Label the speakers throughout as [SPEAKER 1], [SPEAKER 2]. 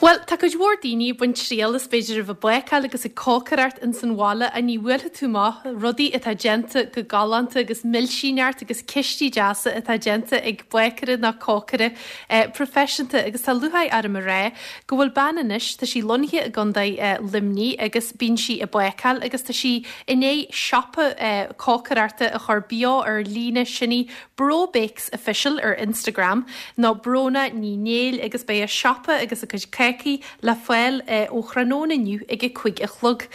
[SPEAKER 1] Bhuel, tá cuid mhór daoine ag baint triail as b'fhéidir a bheith ag bácáil agus ag cócaireacht ins an bhaile ach ní bhuailfidh tú amach rudaí atá déanta go galánta agus milsíneacht agus cistí deasa atá déanta ag bácaire nó cócaire proifisiúnta agus tá lúcháir orm a rá go bhfuil bean anois, tá sí lonnaithe i gContae Luimnigh agus bíonn sí ag bácáil agus tá sí i ndiaidh siopa cócaireachta a chur beo ar líne, sin í Bro Bakes Official ar Instagram, nó Bróna Ní Néill agus beidh a siopa agus a cuid cácaí le fáil ó thráthnóna inniu ag a 5 a chlog.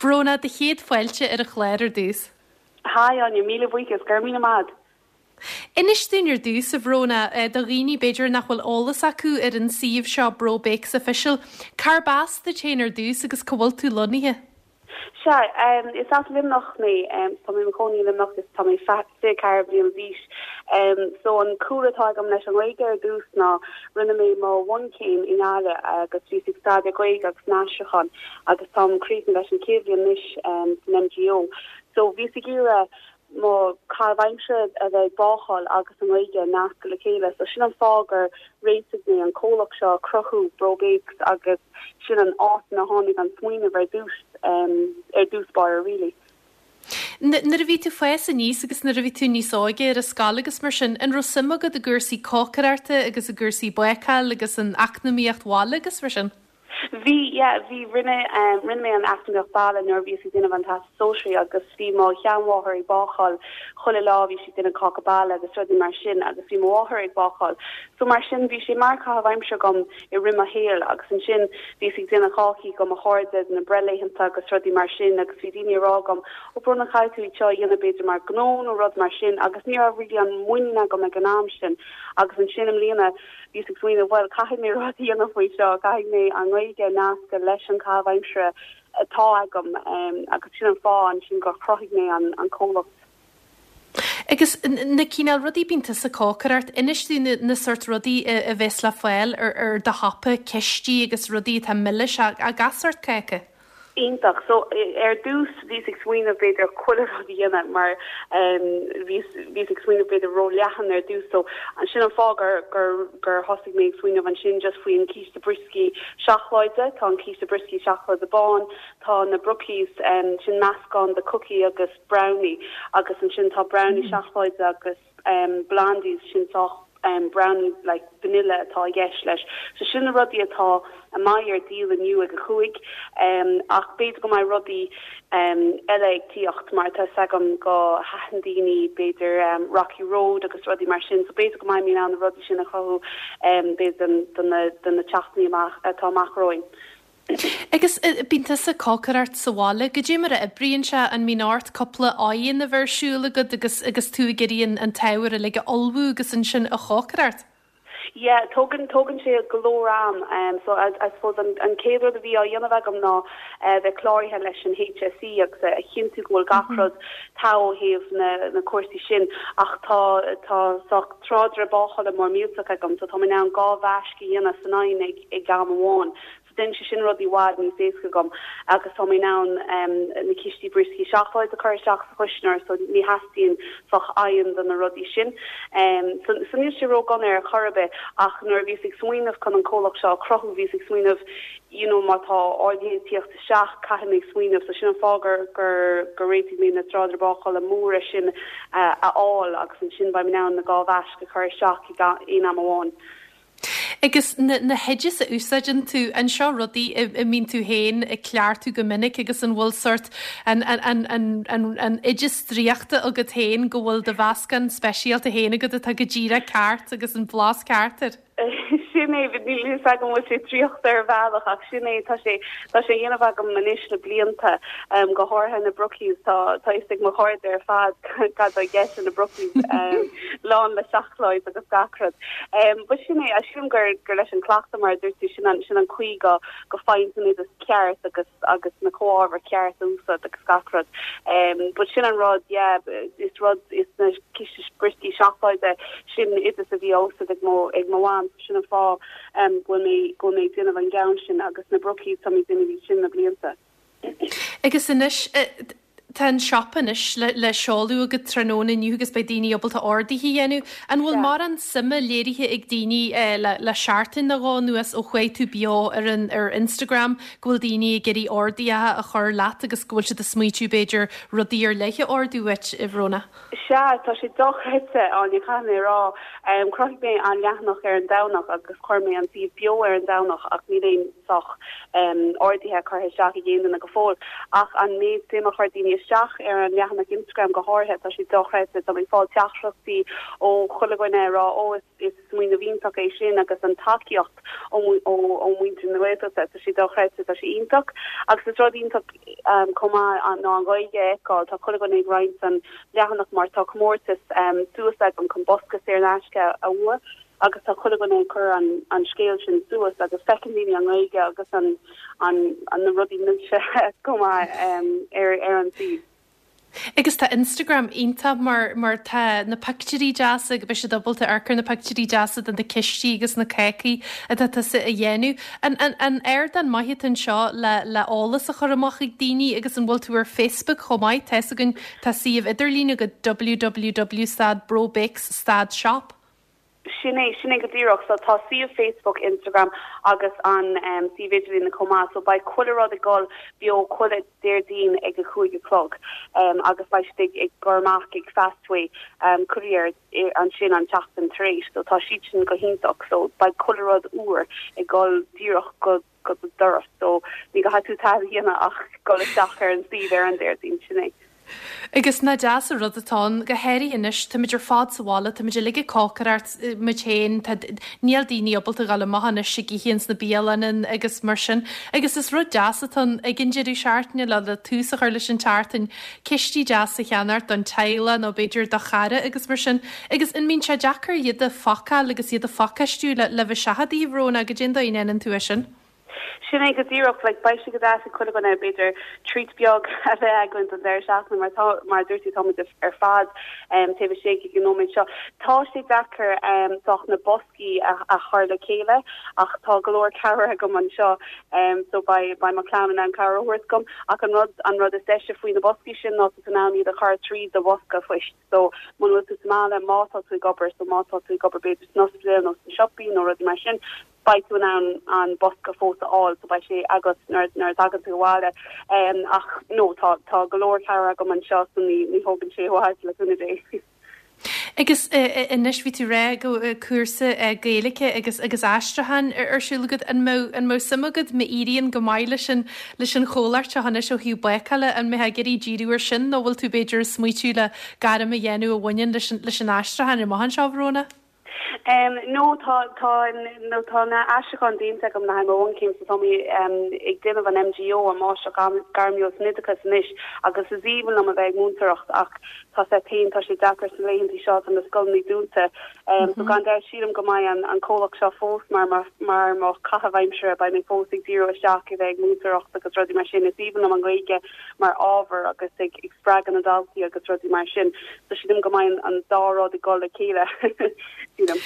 [SPEAKER 1] Bróna, do chéad fáilte ar an chlár ar dtús.
[SPEAKER 2] Hi Áine, míle buíochas, go raibh míle maith agat.
[SPEAKER 1] Inis dúinn ar dtús, a Bhróna, do dhaoine b'fhéidir nach bhfuil eolas acu ar an suíomh seo Bro Bakes Official, cárb as duit féin ar dtús agus cá bhfuil tú lonnaithe?
[SPEAKER 2] Sea, is as Luimneach mé. Tá mé i mo chónaí i Luimneach is tá mé 24 bliana d'aois. So an cúlra atá agam leis an nGaeilge ar dtús ná rinne mé mo bhunchéim i nGaillimh agus bhíos ag staidéar Gaeilge agus an aistriúchán agus táim críochnaithe leis an chéad bhliain anois san MGO. So bhíos ag iarraidh mo chaitheamh aimsire a bheith ag bácáil agus an Ghaeilge a nascadh le chéile. So sin an fáth gur réitigh mé an comhlacht seo a chruthú, Bro Bakes, agus sin an áit ina tháinig an smaoineamh ar dtús, ar dtús báire really.
[SPEAKER 1] Nuair a bhí tú fás aníos agus nuair a bhí tú níos óige ar an scoil agus mar sin, an raibh suim agat i gcúrsaí cócaireachta agus i gcúrsaí bácáil agus an eacnamaíocht bhaile agus mar sin?
[SPEAKER 2] Bhí, yeah, bhí, rinne, rinne mé an eacnamaíocht baile nuair a bhíos ag déanamh an Teastas Sóisearaigh agus bhí mo sheanmháthair ag bácáil chuile lá, bhí sí ag déanamh cáca baile agus rudaí mar sin agus bhí mo mháthair ag bácáil. So mar sin bhí sé mar caitheamh aimsire agam i rith mo shaoil agus ansin bhíos ag déanamh cácaí do mo chairde do na breithlaethanta agus rudaí mar sin agus bhí daoine ag rá agam, ó Bróna caithfidh tú iad seo a dhéanamh b'fhéidir mar gnó nó rud mar sin agus ní raibh really an muinín agam ag an am sin agus ansin i mbliana Bhíos ag smaoineamh, bhuel, caithfidh mé rud a dhéanamh faoi seo, caithfidh mé an Ghaeilge a nascadh leis an chaitheamh aimsire atá agam agus sin an fáth ansin gur chruthaigh mé an comhlacht.
[SPEAKER 1] Agus na cineál rudaí bíonn tusa ag cócaireacht, inis dúinn na sórt rudaí a bheas le fáil ar do shiopa, cistí agus rudaí atá milis, gach sórt cáca.
[SPEAKER 2] Iontach. So, ar dtús bhíos ag smaoineamh b'fhéidir chuile rud a dhéanamh mar bhíos, bhíos ag smaoineamh b'fhéidir ró-leathan ar dtús. So, sin an fáth gur, gur, gur thosaigh mé ag smaoineamh ansin just faoin císte brioscaí seacláide. Tá an císte brioscaí seacláide bán, tá na brookies, sin meascán de cookie agus brownie agus ansin tá brownie seacláide agus blondies, sin sách brownie like vanilla atá i gceist leis. So sin na rudaí atá a mbeidh ar díol inniu ag a chúig ach b'fhéidir go mbeidh rudaí eile ag tíocht mar tá 'fhios agam go thaitin daoine b'fhéidir Rocky Road agus rudaí mar sin so b'fhéidir go mbeidh mé in ann na rudaí sin a chruthú b'fhéidir do na do na tseachtainí amach atá amach romhainn.
[SPEAKER 1] Agus bíonn tusa ag cócaireacht sa bhaile, goidé mar a oibríonn sé, an mbíonn ort cúpla oigheann a bheith ar siúl agat agus agus tú ag iarraidh an t-ábhar uilig a ullmhú agus ansin a chócaireacht?
[SPEAKER 2] Yeah, tógann, tógann sé go leor am. So I, I suppose an, an chéad rud a bhí á dhéanamh agam ná bheith cláraithe leis an HSE agus a chinntiú go bhfuil gach rud togha ó thaobh na, na cúrsaí sin ach tá, tá sách tráidire bácála mór millteach agam so tá mé in ann 2 bhaisc a dhéanamh san oigheann ag, ag am amháin. So déanann sé sin rudaí i bhfad níos éasca dom agus tá mé in ann na cístí brioscaí seacláide a chur isteach sa chuisneoir so ní theastaíonn sách oigheann do na rudaí sin. So so níl sé ró-dhona ar chor ar bith ach nuair a bhíos ag smaoineamh chun an comhlacht seo a chruthú bhíos ag smaoineamh you know má tá orduithe ag tíocht isteach caithfidh mé smaoineamh so sin an fáth gur gur gur réitigh mé na tráidire bácála móra sin a fháil agus ansin beidh mé in ann na 2 bhaisc a chur isteach ag aon am amháin.
[SPEAKER 1] Agus na na hoidis a úsáideann tú, an seo rudaí a a mbíonn tú féin ag cleachtadh go minic agus an bhfuil sórt an an an an an an oideas draíochta agat féin go bhfuil do mheascán speisialta féin agat atá go díreach ceart agus an blas ceart air?
[SPEAKER 2] Sin é, níl a fhios agam an bhfuil sé draíochta ar bhealach ach sin é, tá sé tá sé á dhéanamh agam anois le blianta, go háirithe na brookies, tá tá fhios ag mo chairde ar fad cad tá i gceist le na brookies, lán le seacláid agus gach rud. But sin é, sílim gur gur leis an cleachtadh mar a dúirt tú, sin an sin an chaoi go go faigheann tú an oideas ceart agus agus na comhábhair cheart a úsáid agus gach rud. But sin an rud, yeah, is rud is na císte brioscaí seacláide, sin oideas a bhí á úsáid ag mo ag mo mham, so sin an fáth go bhfuil mé go bhfuil mé ag déanamh an gceann sin agus na brookies tá mé ag déanamh iad sin le blianta.
[SPEAKER 1] Agus anois. Tá an siopa anois le le seoladh agat tráthnóna inniu agus beidh daoine ábalta orduithe a dhéanamh. An bhfuil mórán suime léirithe ag daoine le le seachtain nó dhó anuas ó chuaigh tú beo ar an ar Instagram go bhfuil daoine ag iarraidh orduithe a chur leat agus go bhfuil siad ag smaoitiú b'fhéidir rudaí ar leith a ordú uait, a Bhróna?
[SPEAKER 2] Sea, tá sé dochreidte, Áine, caithfidh mé a rá. Chruthaigh mé an leathanach ar an Domhnach agus chuir mé an suíomh beo ar an Domhnach ach níl aon sách orduithe curtha isteach ag aon duine go fóill. Ach an méid suim a chuir daoine isteach ar an leathanach Instagram go háirithe, tá sé dochreidte. Tá mé ag fáil teachtaireachtaí ó chuile dhuine ag rá, 'Ó, is. Is smaoineamh iontach é sin agus an tacaíocht ó mhuintir na Gaeltachta, tá sé dochreidte, tá sé iontach. Agus is rud iontach chomh maith ná an Ghaeilge a fheiceáil, tá chuile dhuine ag roinnt an leathanach mar tá comórtas suas agam chun bosca saor in aisce a bhua agus tá chuile dhuine ag cur an scéal sin suas agus feiceann daoine an Ghaeilge agus an na rudaí milse chomh maith ar an suíomh.
[SPEAKER 1] Agus tá Instagram iontach mar mar tá na pictiúirí deasa agus beidh siad ábalta amharc ar na pictiúirí deasa de na cistí agus na cácaí atá tusa a dhéanamh. An an an ardán maith atá anseo le le eolas a chur amach ag daoine agus an bhfuil tú ar Facebook chomh maith? Tá fhios againn tá suíomh idirlín agat www stad brobakes stad shop.
[SPEAKER 2] Sin é, sin é go díreach. So tá suíomh Facebook, Instagram agus an suíomh idirlíne chomh maith. So beidh chuile rud ag dul beo chuile Déardaoin ag a chúig a chlog agus beidh siad ag ag cur amach ag Fastway Courier ansin an tseachtain tar éis. So tá siad sin go hiontach. So beidh chuile rud úr ag dul díreach go go do doras. So ní gcaithfidh tú tada a dhéanamh ach dul isteach ar an suíomh ar an Déardaoin. Sin é.
[SPEAKER 1] Agus nach deas an rud atá ann, go háirithe anois, táimid ar fad sa bhaile, táimid uilig ag cócaireacht muid féin, tá, níl daoine ábalta a ghabháil amach anois ag ithe ins na bialanna agus mar sin. Agus is rud deas atá ann ag an deireadh seachtaine le, le tús a chur leis an tseachtain, cistí deasa a cheannacht don teaghlach nó b'fhéidir do chara agus mar sin. Agus an mbíonn sé deacair iad a phacáil agus iad a phacáistiú le, le bheith seachadta, a Bhróna, goidé an dóigh a ndéanann tú é sin?
[SPEAKER 2] Sin é go díreach, like, beidh sé go deas ag chuile dhuine, b'fhéidir, treat beag a bheith againn don deireadh seachtaine mar tá, mar a dúirt tú, táimid ar fad taobh istigh ag an nóiméad seo. Tá sé deacair sách na boscaí a, a chur le chéile ach tá go leor cabhair agam anseo so beidh, beidh mo chlann in ann cabhair a thabhairt dom ach an rud, an rud is deise faoi na boscaí sin ná tá tú in ann iad a chur tríd do bhosca phoist. So muna bhfuil tú sa mbaile, má tá tú ag obair, so má tá tú ag obair b'fhéidir san ospidéal nó sna siopaí nó rudaí mar sin, beidh tú in ann an bosca fós a fháil so beidh sé agat nuair nuair a thagann tú abhaile. Ach no tá tá go leor cabhair agam anseo so ní ní thógann sé i bhfad le cúnamh Dé.
[SPEAKER 1] Agus anois bhí tú ag rá go bhfuil cúrsa Gaeilge agus agus aistriúcháin ar siúl agat. An mbeadh an mbeadh suim agat má éiríonn go maith leis an leis an chomhlacht seo anois ó thaobh bácála, an mbeifeá ag iarraidh díriú ar sin nó bhfuil tú b'fhéidir ag smaoitiú le gairm a dhéanamh a bhaineann leis an leis an aistriúchán amach anseo, a Bhróna?
[SPEAKER 2] No, tá, tá, no, tá na aistriúcháin déanta agam le haghaidh mo bhunchéim so tá mé ag déanamh an MGO, an Máistreacht Gairmiúil san Oideachas anois agus is aoibhinn liom a bheith ag múinteoireacht ach tá sé féin, tá sé deacair sna laethanta seo, tá na scoileanna dúnta. So gan dabht sílim go mbeidh an, an comhlacht seo fós mar mo, mar mo chaitheamh aimsire, beidh mé fós ag díriú isteach i bheith ag múinteoireacht agus rudaí mar sin. Is aoibhinn liom an Ghaeilge mar ábhar agus ag, ag spreagadh na ndaltaí agus rudaí mar sin. So sílim go mbeidh an dá rud ag dul le chéile,
[SPEAKER 1] sílim.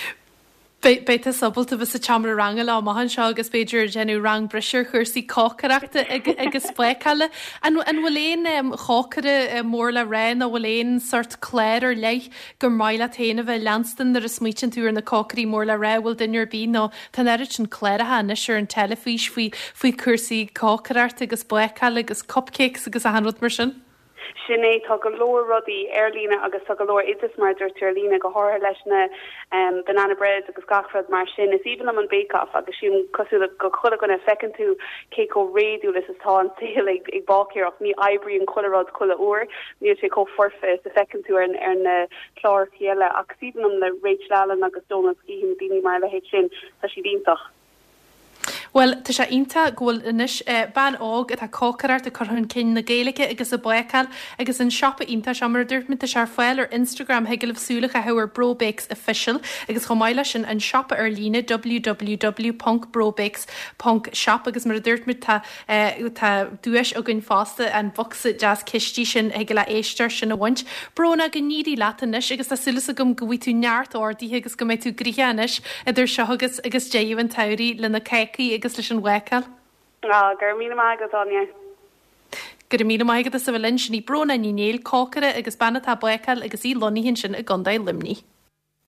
[SPEAKER 1] Beidh tusa ábalta bheith sa tseomra ranga leo amach anseo agus b'fhéidir déanamh rang breise ar chúrsaí cócaireachta agus bácála. An bhfuil aon chócaire mór le rá nó bhfuil aon sort clár ar leith gur maith leat féin a bheith ag leanstan nuair a smaoitíonn tú ar na cócairí mór le rá? Bhfuil duine ar bith nó tá an oiread sin cláracha anois ar an teilifís faoi faoi chúrsaí cócaireachta agus bácála agus cupcakes agus achan rud mar sin?
[SPEAKER 2] Sin é, tá go leor rudaí ar líne agus tá go leor oideas mar a dúirt tú ar líne, go háirithe leis na banana breads agus gach rud mar sin. Is aoibhinn liom an Bake Off agus sílim cosúil le go chuile dhuine, feiceann tú cé chomh réadúil is atá an saol ag ag báicéireacht. Ní oibríonn chuile rud chuile uair, níl sé chomh foirfe is a feiceann tú ar ar na cláracha eile ach is aoibhinn liom le Rachel Allen agus Donal Skehan, daoine mar a leithéid sin, tá siad iontach.
[SPEAKER 1] Bhuel, tá sé iontach go bhfuil anois bean óg atá ag cócaireacht, ag cur chun cinn na Gaeilge agus ag bácáil agus an siopa iontach seo, mar a dúirt mé, tá sé ar fáil ar Instagram, thig libh súil a chaitheamh ar Brobakes Official agus chomh maith leis sin an siopa ar líne www ponc brobakes ponc shop agus mar a dúirt mé tá tá duais againn fosta, an bocsa deas cistí sin, thig le éisteoir sin a bhaint. Bróna, go n-éirí leat anois agus tá súil agam go bhfaighidh tú neart orduithe agus go mbeidh tú gnoitheach anois idir seo agus agus deireadh an tsamhraidh le na cácaí agus leis an bhácáil.
[SPEAKER 2] Á, go raibh míle maith agat, Áine.
[SPEAKER 1] Go raibh míle maith agat as a bheith linn. Sin í Bróna Ní Néill, cócaire agus bean atá ag bácáil agus í lonnaithe ansin i gContae Luimnigh.